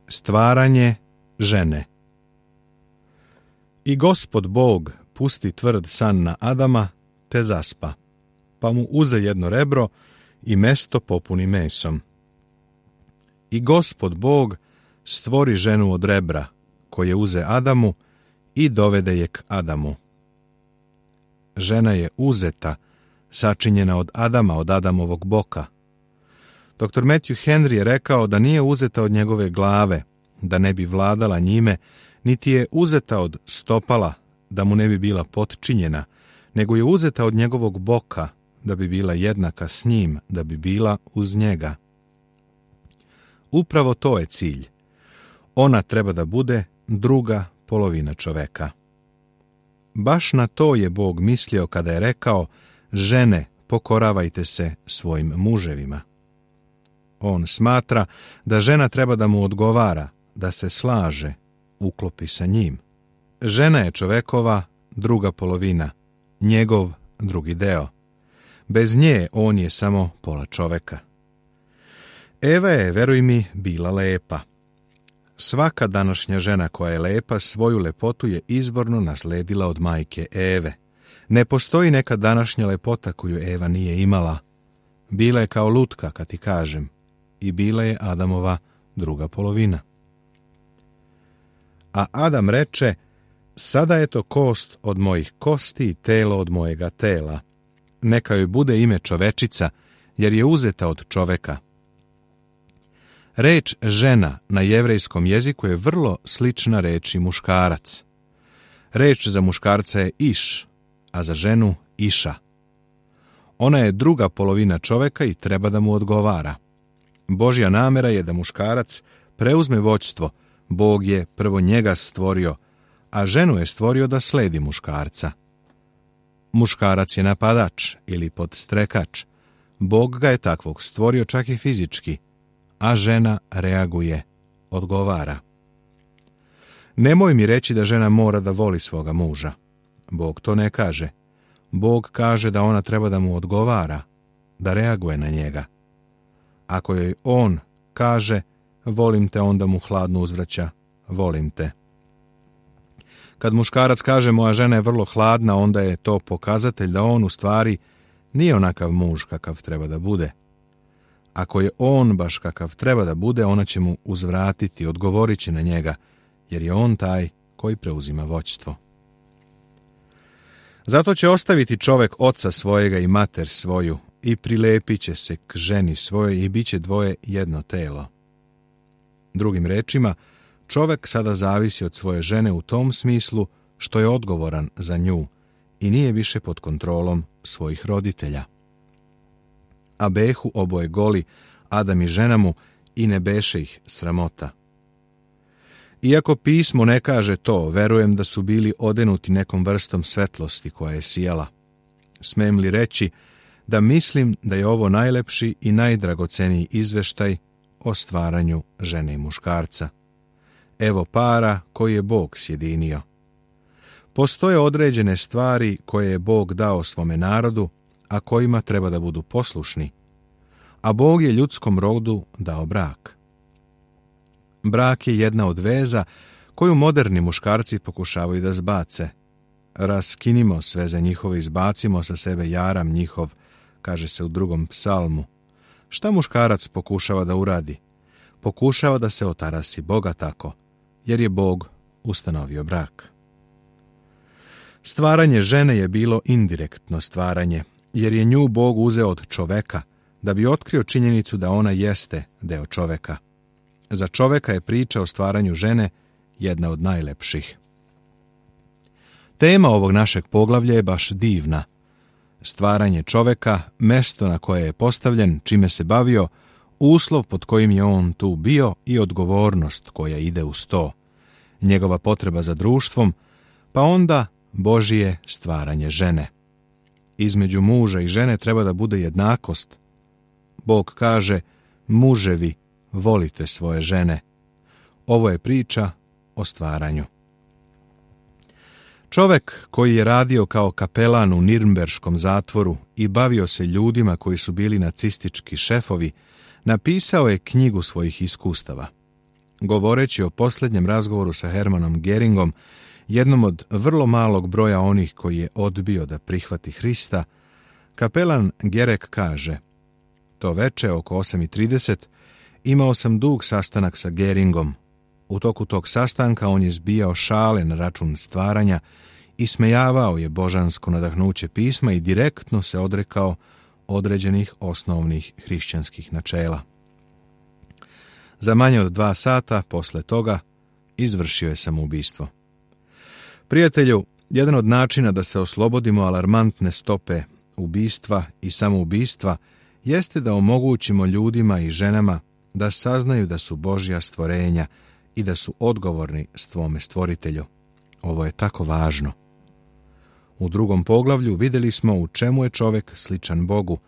Stvaranje žene. I Gospod Bog pusti tvrd san na Adama, te zaspa, pa mu uze jedno rebro i mesto popuni mesom. I Gospod Bog stvori ženu od rebra, koje uze Adamu i dovede je k Adamu. Žena je uzeta, sačinjena od Adama, od Adamovog boka. Dr. Matthew Henry je rekao da nije uzeta od njegove glave, da ne bi vladala njime, niti je uzeta od stopala, da mu ne bi bila potčinjena, nego je uzeta od njegovog boka, da bi bila jednaka s njim, da bi bila uz njega. Upravo to je cilj. Ona treba da bude druga polovina čoveka. Baš na to je Bog mislio kada je rekao: žene, pokoravajte se svojim muževima. On smatra da žena treba da mu odgovara, da se slaže, uklopi sa njim. Žena je čovekova druga polovina, njegov drugi deo. Bez nje on je samo pola čoveka. Eva je, veruj mi, bila lepa. Svaka današnja žena koja je lepa, svoju lepotu je izvorno nasledila od majke Eve. Ne postoji neka današnja lepota koju Eva nije imala. Bila je kao lutka, kad ti kažem, i bila je Adamova druga polovina. A Adam reče: sada je to kost od mojih kosti i telo od mojega tela. Neka joj bude ime čovečica, jer je uzeta od čoveka. Reč žena na jevrejskom jeziku je vrlo slična reči muškarac. Reč za muškarca je iš, a za ženu iša. Ona je druga polovina čoveka i treba da mu odgovara. Božja namera je da muškarac preuzme vođstvo. Bog je prvo njega stvorio, a ženu je stvorio da sledi muškarca. Muškarac je napadač ili podstrekač. Bog ga je takvog stvorio čak i fizički, a žena reaguje, odgovara. Nemoj mi reći da žena mora da voli svoga muža. Bog to ne kaže. Bog kaže da ona treba da mu odgovara, da reaguje na njega. Ako joj on kaže: volim te, onda mu hladno uzvraća: volim te. Kad muškarac kaže: moja žena je vrlo hladna, onda je to pokazatelj da on u stvari nije onakav muž kakav treba da bude. Ako je on baš kakav treba da bude, ona će mu uzvratiti, odgovorit će na njega, jer je on taj koji preuzima vođstvo. Zato će ostaviti čovek oca svojega i mater svoju i prilepit će se k ženi svojoj i bit će dvoje jedno telo. Drugim rečima, čovek sada zavisi od svoje žene u tom smislu što je odgovoran za nju i nije više pod kontrolom svojih roditelja. A behu oboje goli, Adam i žena mu, i ne beše ih sramota. Iako pismo ne kaže to, verujem da su bili odenuti nekom vrstom svetlosti koja je sijala. Smem li reći da mislim da je ovo najlepši i najdragoceniji izveštaj o stvaranju žene i muškarca. Evo para koji je Bog sjedinio. Postoje određene stvari koje je Bog dao svome narodu, a kojima treba da budu poslušni, a Bog je ljudskom rodu dao brak. Brak je jedna od veza koju moderni muškarci pokušavaju da zbace. Raskinimo sveze njihove, izbacimo sa sebe jaram njihov, kaže se u 2. psalmu. Šta muškarac pokušava da uradi? Pokušava da se otarasi Boga tako, jer je Bog ustanovio brak. Stvaranje žene je bilo indirektno stvaranje, jer je nju Bog uzeo od čoveka, da bi otkrio činjenicu da ona jeste deo čoveka. Za čoveka je priča o stvaranju žene jedna od najlepših. Tema ovog našeg poglavlja je baš divna. Stvaranje čoveka, mesto na koje je postavljen, čime se bavio, uslov pod kojim je on tu bio i odgovornost koja ide uz to. Njegova potreba za društvom, pa onda Božije stvaranje žene. Između muža i žene treba da bude jednakost. Bog kaže: muževi, volite svoje žene. Ovo je priča o stvaranju. Čovek koji je radio kao kapelan u Nirnberškom zatvoru i bavio se ljudima koji su bili nacistički šefovi, napisao je knjigu svojih iskustava. Govoreći o posljednjem razgovoru sa Hermanom Göringom, jednom od vrlo malog broja onih koji je odbio da prihvati Hrista, kapelan Gerek kaže: to veče oko 8:30 imao sam dug sastanak sa Göringom. U toku tog sastanka on je zbijao šale na račun stvaranja, ismejavao je božansko nadahnuće pisma i direktno se odrekao određenih osnovnih hrišćanskih načela. Za manje od 2 sata posle toga izvršio je samoubistvo. Prijatelju, jedan od načina da se oslobodimo alarmantne stope ubistva i samoubistva jeste da omogućimo ljudima i ženama da saznaju da su Božja stvorenja i da su odgovorni svome stvoritelju. Ovo je tako važno. U 2. poglavlju vidjeli smo u čemu je čovjek sličan Bogu.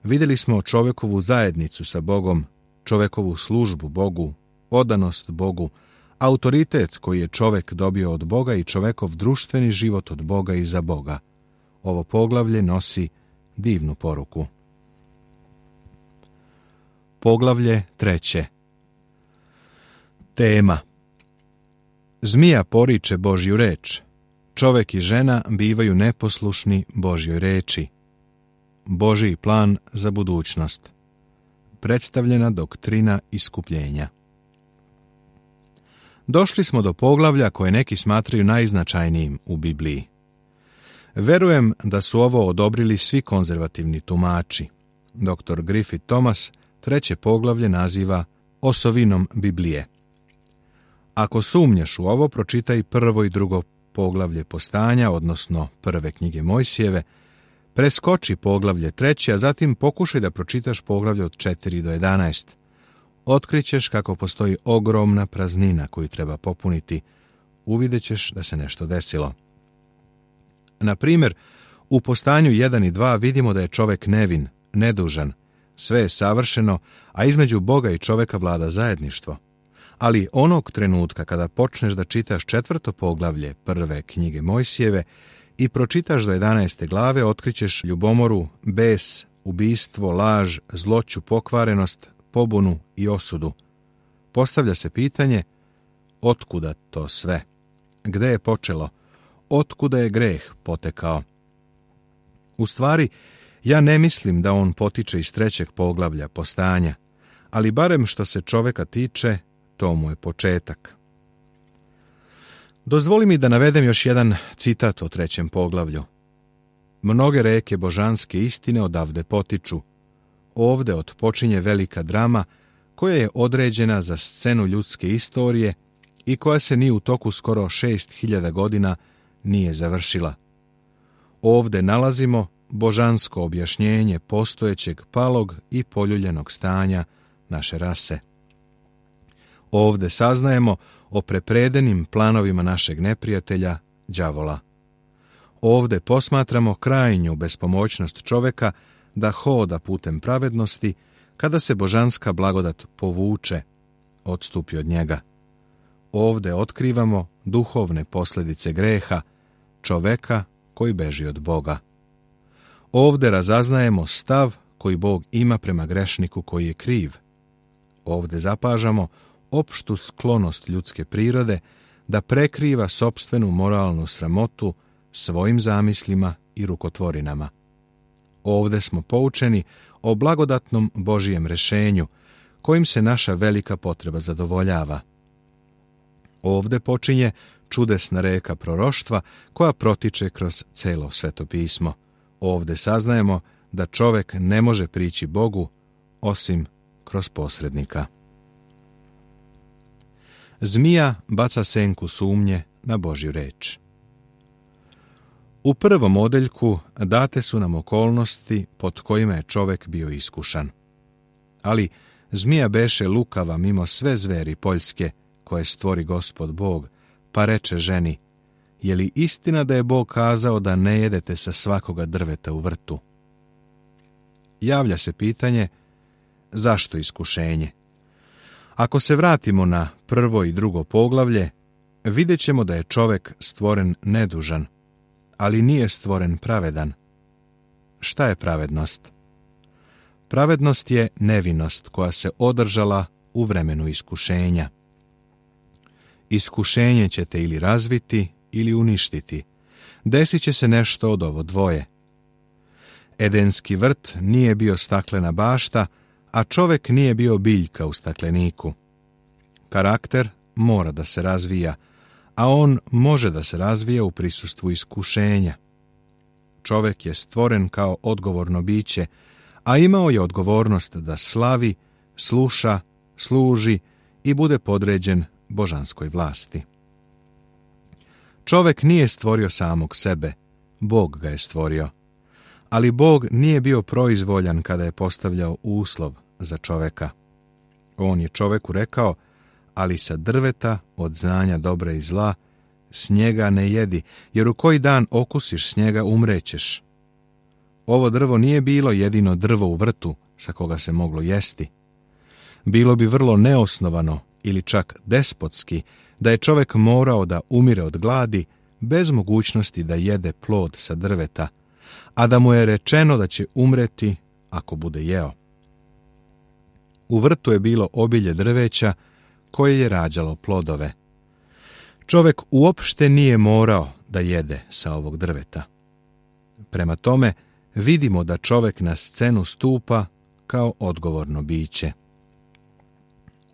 Vidjeli smo čovjekovu zajednicu sa Bogom, čovjekovu službu Bogu, odanost Bogu, autoritet koji je čovjek dobio od Boga i čovjekov društveni život od Boga i za Boga. Ovo poglavlje nosi divnu poruku. Poglavlje 3. Tema: Zmija poriče Božju reč. Čovjek i žena bivaju neposlušni Božjoj reči. Božji plan za budućnost. Predstavljena doktrina iskupljenja. Došli smo do poglavlja koje neki smatraju najznačajnijim u Bibliji. Verujem da su ovo odobrili svi konzervativni tumači. Dr. Griffith Thomas 3. poglavlje naziva osovinom Biblije. Ako sumnjaš u ovo, pročitaj 1. i 2. poglavlje Postanja, odnosno 1. knjige Mojsijeve, preskoči poglavlje 3, a zatim pokušaj da pročitaš poglavlje od 4 do 11. Otkrićeš kako postoji ogromna praznina koju treba popuniti. Uvidjet ćeš da se nešto desilo. Na primjer, u Postanju 1 i 2 vidimo da je čovjek nevin, nedužan, sve je savršeno, a između Boga i čovjeka vlada zajedništvo. Ali onog trenutka kada počneš da čitaš 4. poglavlje 1. knjige Mojsijeve i pročitaš do 11. glave, otkrićeš ljubomoru, bes, ubistvo, laž, zloću, pokvarenost, pobunu i osudu. Postavlja se pitanje: otkuda to sve? Gde je počelo? Otkuda je greh potekao? U stvari, ja ne mislim da on potiče iz 3. poglavlja Postanja, ali barem što se čovjeka tiče, to mu je početak. Dozvoli mi da navedem još jedan citat o 3. poglavlju. Mnoge reke božanske istine odavde potiču. Ovde otpočinje velika drama koja je određena za scenu ljudske istorije i koja se ni u toku skoro 6000 godina nije završila. Ovde nalazimo božansko objašnjenje postojećeg palog i poljuljenog stanja naše rase. Ovde saznajemo o prepredenim planovima našeg neprijatelja, đavola. Ovde posmatramo krajnju bespomoćnost čoveka da hoda putem pravednosti kada se božanska blagodat povuče, odstupi od njega. Ovde otkrivamo duhovne posljedice greha, čoveka koji beži od Boga. Ovde razaznajemo stav koji Bog ima prema grešniku koji je kriv. Ovde zapažamo opštu sklonost ljudske prirode da prekriva sopstvenu moralnu sramotu svojim zamislima i rukotvorinama. Ovde smo poučeni o blagodatnom Božijem rešenju, kojim se naša velika potreba zadovoljava. Ovde počinje čudesna reka proroštva koja protiče kroz celo Sveto pismo. Ovde saznajemo da čovek ne može prići Bogu osim kroz posrednika. Zmija baca senku sumnje na Božju reč. U prvom odeljku date su nam okolnosti pod kojima je čovek bio iskušan. Ali zmija beše lukava mimo sve zveri poljske koje stvori Gospod Bog, pa reče ženi: je li istina da je Bog kazao da ne jedete sa svakoga drveta u vrtu? Javlja se pitanje: zašto iskušenje? Ako se vratimo na 1. i 2. poglavlje, vidjet ćemo da je čovek stvoren nedužan, ali nije stvoren pravedan. Šta je pravednost? Pravednost je nevinost koja se održala u vremenu iskušenja. Iskušenje će te ili razviti ili uništiti. Desit će se nešto od ovo dvoje. Edenski vrt nije bio staklena bašta, a čovek nije bio biljka u stakleniku. Karakter mora da se razvija, a on može da se razvija u prisustvu iskušenja. Čovek je stvoren kao odgovorno biće, a imao je odgovornost da slavi, sluša, služi i bude podređen božanskoj vlasti. Čovek nije stvorio samog sebe, Bog ga je stvorio. Ali Bog nije bio proizvoljan kada je postavljao uslov za čoveka. On je čoveku rekao, ali sa drveta od znanja dobra i zla s njega ne jedi, jer u koji dan okusiš s njega umrećeš. Ovo drvo nije bilo jedino drvo u vrtu sa koga se moglo jesti. Bilo bi vrlo neosnovano ili čak despotski da je čovek morao da umire od gladi bez mogućnosti da jede plod sa drveta, a da mu je rečeno da će umreti ako bude jeo. U vrtu je bilo obilje drveća koje je rađalo plodove. Čovek uopšte nije morao da jede sa ovog drveta. Prema tome, vidimo da čovek na scenu stupa kao odgovorno biće.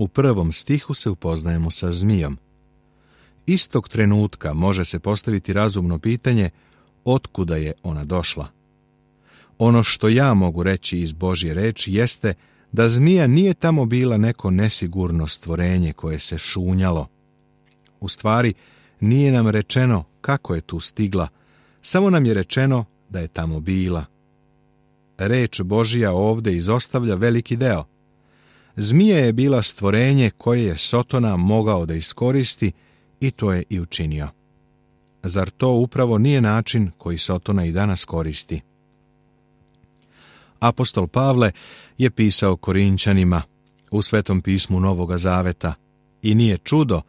U 1. stihu se upoznajemo sa zmijom. Istog trenutka može se postaviti razumno pitanje otkuda je ona došla. Ono što ja mogu reći iz Božje reči jeste da zmija nije tamo bila neko nesigurno stvorenje koje se šunjalo. U stvari, nije nam rečeno kako je tu stigla, samo nam je rečeno da je tamo bila. Reč Božja ovde izostavlja veliki deo. Zmija je bila stvorenje koje je Sotona mogao da iskoristi i to je i učinio. Zar to upravo nije način koji Sotona i danas koristi? Apostol Pavle je pisao Korinćanima u Svetom pismu Novoga Zaveta i nije čudo,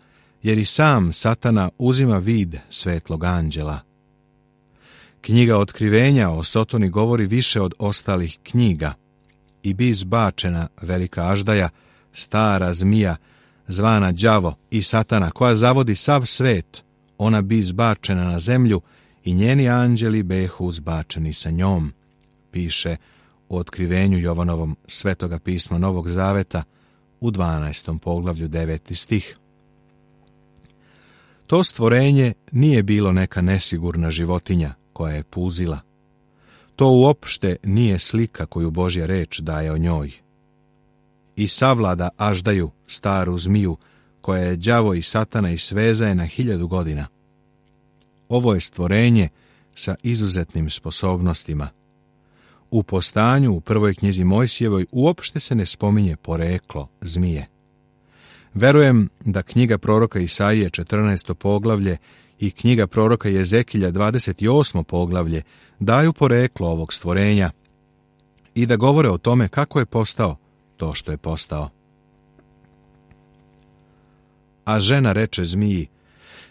jer i sam Satana uzima vid svetlog anđela. Knjiga Otkrivenja o Sotoni govori više od ostalih knjiga i bi izbačena velika aždaja, stara zmija, zvana đavo i Satana, koja zavodi sav svet, ona bi izbačena na zemlju i njeni anđeli behu uzbačeni sa njom, piše u Otkrivenju Jovanovom Svetoga pisma Novog Zaveta u 12. poglavlju 9. stih. To stvorenje nije bilo neka nesigurna životinja koja je puzila. To uopšte nije slika koju Božja reč daje o njoj. I savlada aždaju, staru zmiju, koja je đavo i Satana i svezaje na 1000 godina. Ovo je stvorenje sa izuzetnim sposobnostima. U Postanju, u 1. knjizi Mojsijevoj, uopšte se ne spominje poreklo zmije. Verujem da knjiga proroka Isaije 14. poglavlje i knjiga proroka Jezekilja 28. poglavlje daju poreklo ovog stvorenja i da govore o tome kako je postao to što je postao. A žena reče zmiji,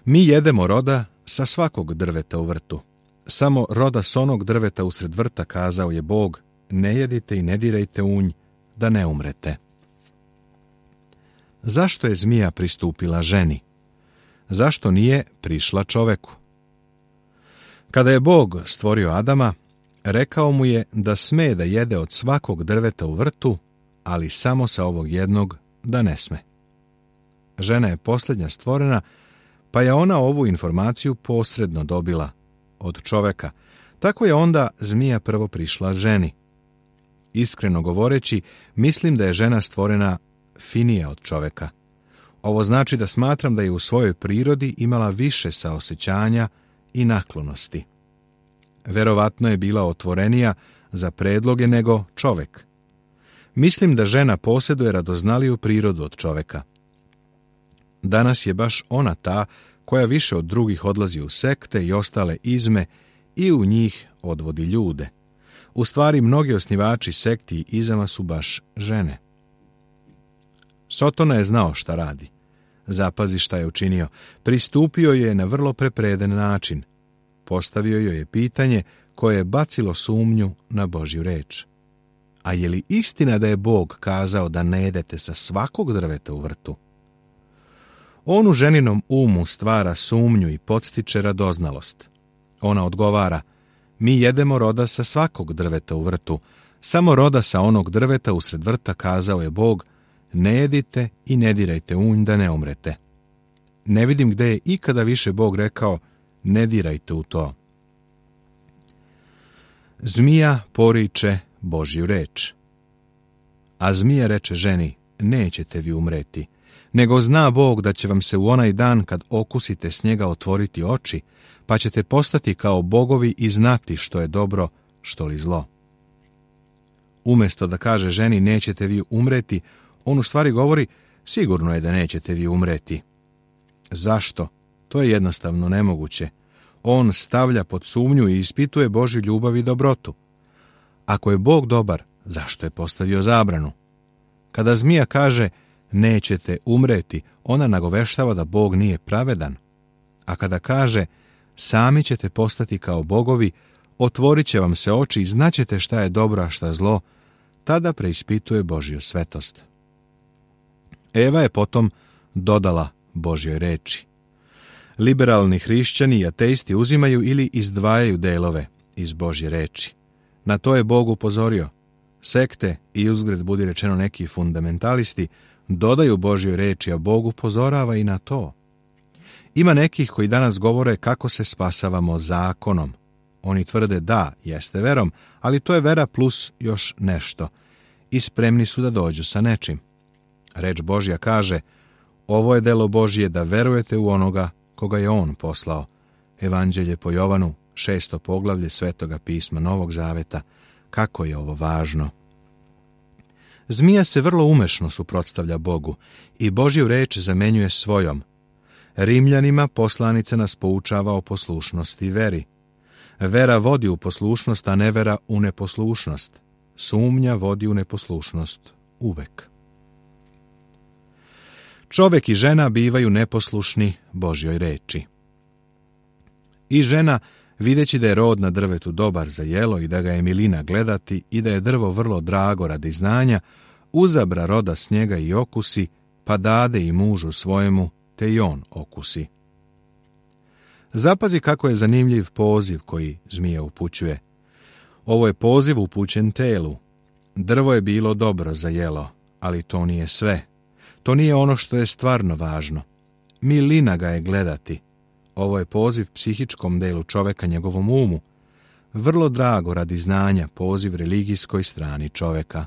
mi jedemo roda sa svakog drveta u vrtu. Samo roda s onog drveta usred vrta, kazao je Bog, ne jedite i ne dirajte u nj, da ne umrete. Zašto je zmija pristupila ženi? Zašto nije prišla čoveku? Kada je Bog stvorio Adama, rekao mu je da sme da jede od svakog drveta u vrtu, ali samo sa ovog jednog da ne sme. Žena je posljednja stvorena, pa je ona ovu informaciju posredno dobila od čoveka. Tako je onda zmija prvo prišla ženi. Iskreno govoreći, mislim da je žena stvorena finija od čoveka. Ovo znači da smatram da je u svojoj prirodi imala više saosećanja i naklonosti. Verovatno je bila otvorenija za predloge nego čovek. Mislim da žena posjeduje radoznaliju prirodu od čoveka. Danas je baš ona ta koja više od drugih odlazi u sekte i ostale izme i u njih odvodi ljude. U stvari, mnogi osnivači sekti i izama su baš žene. Sotona je znao šta radi. Zapazi šta je učinio. Pristupio je na vrlo prepreden način. Postavio joj je pitanje koje je bacilo sumnju na Božju reč. A je li istina da je Bog kazao da ne jedete sa svakog drveta u vrtu? On u ženinom umu stvara sumnju i podstiče radoznalost. Ona odgovara: mi jedemo roda sa svakog drveta u vrtu, samo roda sa onog drveta usred vrta kazao je Bog: ne jedite i ne dirajte u nj da ne umrete. Ne vidim gde je ikada više Bog rekao: ne dirajte u to. Zmija poriče Božju reč. A zmija reče ženi: nećete vi umreti, nego zna Bog da će vam se u onaj dan kad okusite s njega otvoriti oči, pa ćete postati kao bogovi i znati što je dobro, što li zlo. Umjesto da kaže ženi: nećete vi umreti, on u stvari govori: sigurno je da nećete vi umreti. Zašto? To je jednostavno nemoguće. On stavlja pod sumnju i ispituje Božju ljubav i dobrotu. Ako je Bog dobar, zašto je postavio zabranu? Kada zmija kaže: nećete umreti, ona nagoveštava da Bog nije pravedan. A kada kaže: sami ćete postati kao bogovi, otvorit će vam se oči i znaćete šta je dobro, a šta zlo, tada preispituje Božju svetost. Eva je potom dodala Božjoj reči. Liberalni hrišćani i ateisti uzimaju ili izdvajaju delove iz Božje reči. Na to je Bog upozorio. Sekte i uzgred budi rečeno neki fundamentalisti dodaju Božjoj reči, a Bog upozorava i na to. Ima nekih koji danas govore kako se spasavamo zakonom. Oni tvrde da, jeste verom, ali to je vera plus još nešto. I spremni su da dođu sa nečim. Reč Božja kaže: ovo je delo Božje da verujete u onoga koga je on poslao. Evanđelje po Jovanu, 6. poglavlje Svetoga pisma Novog Zaveta. Kako je ovo važno! Zmija se vrlo umešno suprotstavlja Bogu i Božju reč zamenjuje svojom. Rimljanima poslanica nas poučava o poslušnosti i veri. Vera vodi u poslušnost, a nevera u neposlušnost. Sumnja vodi u neposlušnost uvek. Čovek i žena bivaju neposlušni Božjoj reči. I žena, videći da je rod na drvetu dobar za jelo i da ga je milina gledati i da je drvo vrlo drago radi znanja, uzabra roda s njega i okusi, pa dade i mužu svojemu, te i on okusi. Zapazi kako je zanimljiv poziv koji zmija upućuje. Ovo je poziv upućen telu. Drvo je bilo dobro za jelo, ali to nije sve. To nije ono što je stvarno važno. Milina ga je gledati. Ovo je poziv psihičkom delu čoveka, njegovom umu. Vrlo drago radi znanja, poziv religijskoj strani čoveka.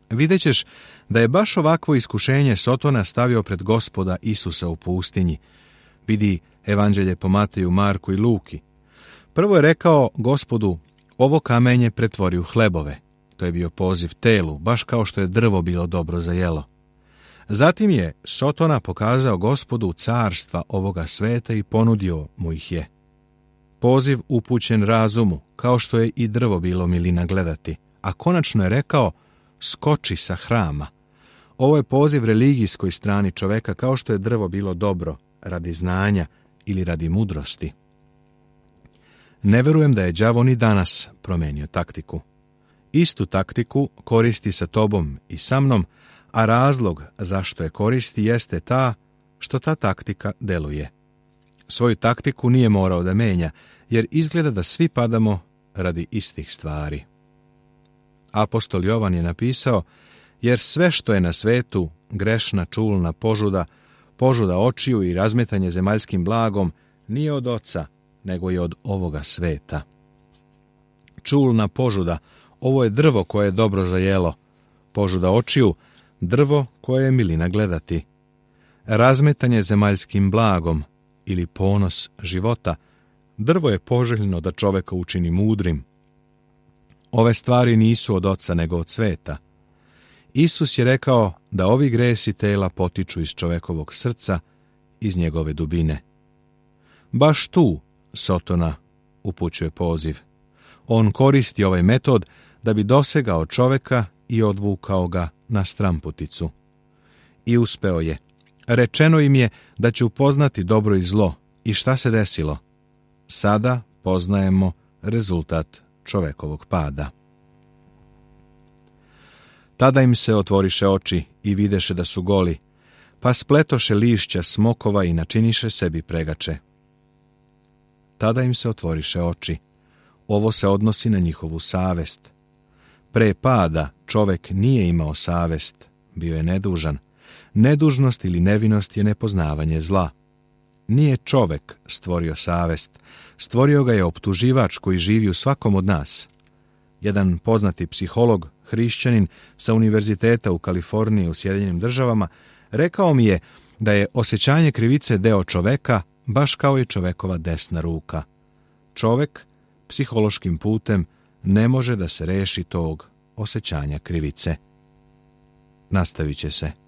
Videćeš da je baš ovakvo iskušenje Sotona stavio pred Gospoda Isusa u pustinji. Vidi Evanđelje po Mateju, Marku i Luki. Prvo je rekao Gospodu: ovo kamenje pretvori u hlebove. To je bio poziv telu, baš kao što je drvo bilo dobro za jelo. Zatim je Sotona pokazao Gospodu carstva ovoga sveta i ponudio mu ih je. Poziv upućen razumu, kao što je i drvo bilo milina gledati, a konačno je rekao: skoči sa hrama. Ovo je poziv religijskoj strani čoveka, kao što je drvo bilo dobro radi znanja ili radi mudrosti. Ne verujem da je đavo ni danas promenio taktiku. Istu taktiku koristi sa tobom i sa mnom, a razlog zašto je koristi jeste ta što ta taktika deluje. Svoju taktiku nije morao da menja, jer izgleda da svi padamo radi istih stvari. Apostol Jovan je napisao: jer sve što je na svetu, grešna, čulna požuda, požuda očiju i razmetanje zemaljskim blagom, nije od oca, nego je od ovoga sveta. Čulna požuda, ovo je drvo koje je dobro za jelo. Požuda očiju, drvo koje je milina gledati. Razmetanje zemaljskim blagom ili ponos života, drvo je poželjno da čoveka učini mudrim. Ove stvari nisu od oca nego od sveta. Isus je rekao da ovi gresi tela potiču iz čovekovog srca, iz njegove dubine. Baš tu Sotona upućuje poziv. On koristi ovaj metod da bi dosegao čoveka i odvukao ga na stramputicu. I uspeo je. Rečeno im je da će upoznati dobro i zlo. I šta se desilo? Sada poznajemo rezultat čovekovog pada. Tada im se otvoriše oči i videše da su goli, pa spletoše lišća smokova i načiniše sebi pregače. Tada im se otvoriše oči. Ovo se odnosi na njihovu savest. Pre pada čovek nije imao savest, bio je nedužan. Nedužnost ili nevinost je nepoznavanje zla. Nije čovek stvorio savest, stvorio ga je optuživač koji živi u svakom od nas. Jedan poznati psiholog, hrišćanin sa univerziteta u Kaliforniji u Sjedinjenim Državama, rekao mi je da je osjećanje krivice deo čoveka, baš kao i čovekova desna ruka. Čovek psihološkim putem ne može da se reši tog osjećanja krivice. Nastavit će se.